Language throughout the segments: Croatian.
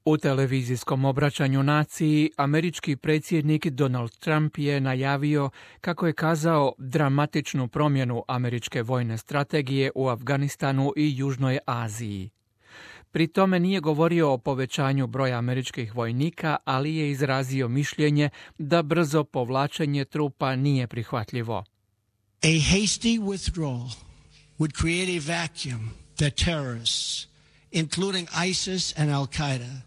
U televizijskom obraćanju naciji američki predsjednik Donald Trump je najavio, kako je kazao, dramatičnu promjenu američke vojne strategije u Afganistanu i Južnoj Aziji. Pri tome nije govorio o povećanju broja američkih vojnika, ali je izrazio mišljenje da brzo povlačenje trupa nije prihvatljivo. A hasty withdrawal would create a vacuum that terrorists, including ISIS and Al-Qaeda,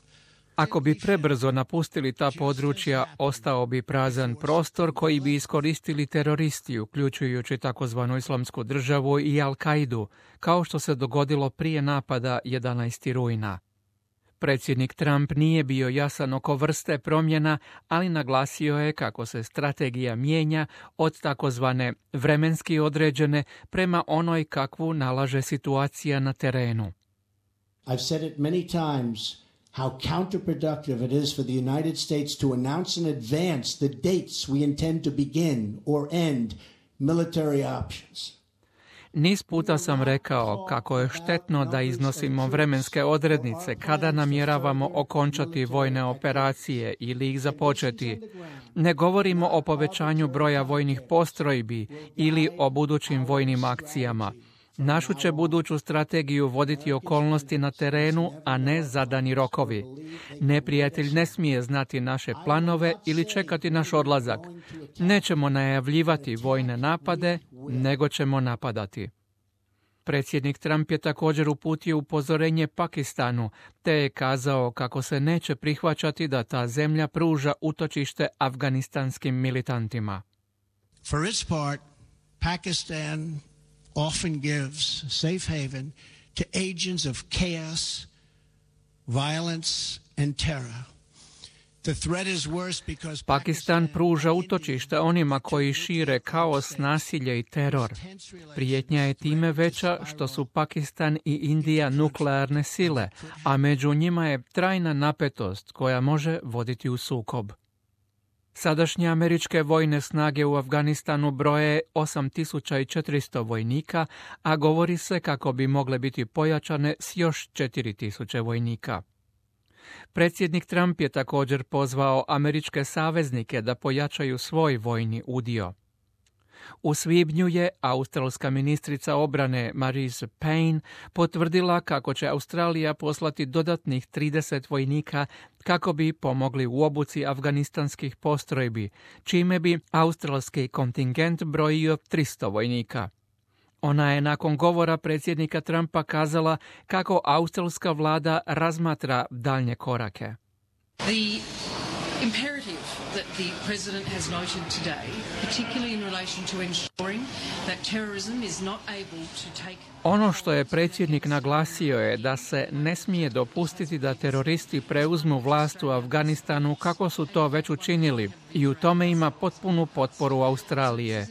ako bi prebrzo napustili ta područja, ostao bi prazan prostor koji bi iskoristili teroristi, uključujući takozvanu Islamsku državu i Al-Kaidu, kao što se dogodilo prije napada 11. rujna. Predsjednik Trump nije bio jasan oko vrste promjena, ali naglasio je kako se strategija mijenja od takozvane vremenski određene prema onoj kakvu nalaže situacija na terenu. I've said it many times how counterproductive it is for the United States to announce in advance the dates we intend to begin or end military options. Niz puta sam rekao kako je štetno da iznosimo vremenske odrednice kada namjeravamo okončati vojne operacije ili ih započeti. Ne govorimo o povećanju broja vojnih postrojbi ili o budućim vojnim akcijama. Našu će buduću strategiju voditi okolnosti na terenu, a ne zadani rokovi. Neprijatelj ne smije znati naše planove ili čekati naš odlazak. Nećemo najavljivati vojne napade, nego ćemo napadati. Predsjednik Trump je također uputio upozorenje Pakistanu, te je kazao kako se neće prihvaćati da ta zemlja pruža utočište afganistanskim militantima. For its part, Pakistan often gives safe haven to agents of chaos, violence and terror. The threat is worse because Pakistan pruža utočište onima koji šire kaos, nasilje i teror. Prijetnja je time veća što su Pakistan i Indija nuklearne sile, a među njima je trajna napetost koja može voditi u sukob. Sadašnje američke vojne snage u Afganistanu broje 8400 vojnika, a govori se kako bi mogle biti pojačane s još 4000 vojnika. Predsjednik Trump je također pozvao američke saveznike da pojačaju svoj vojni udio. U svibnju je australska ministrica obrane Marise Payne potvrdila kako će Australija poslati dodatnih 30 vojnika kako bi pomogli u obuci afganistanskih postrojbi, čime bi australski kontingent brojio 300 vojnika. Ona je nakon govora predsjednika Trumpa kazala kako australska vlada razmatra daljnje korake. The imperative that the president has noted today, particularly in relation to ensuring that terrorism is not able to take... Ono što je predsjednik naglasio je da se ne smije dopustiti da teroristi preuzmu vlast u Afganistanu kako su to već učinili i u tome ima potpunu potporu Australije.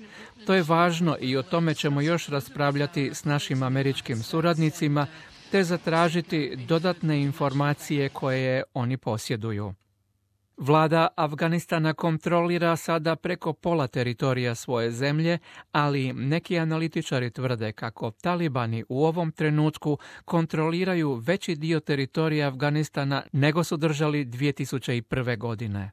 To je važno i o tome ćemo još raspravljati s našim američkim suradnicima te zatražiti dodatne informacije koje oni posjeduju. Vlada Afganistana kontrolira sada preko pola teritorija svoje zemlje, ali neki analitičari tvrde kako talibani u ovom trenutku kontroliraju veći dio teritorija Afganistana nego su držali 2001. godine.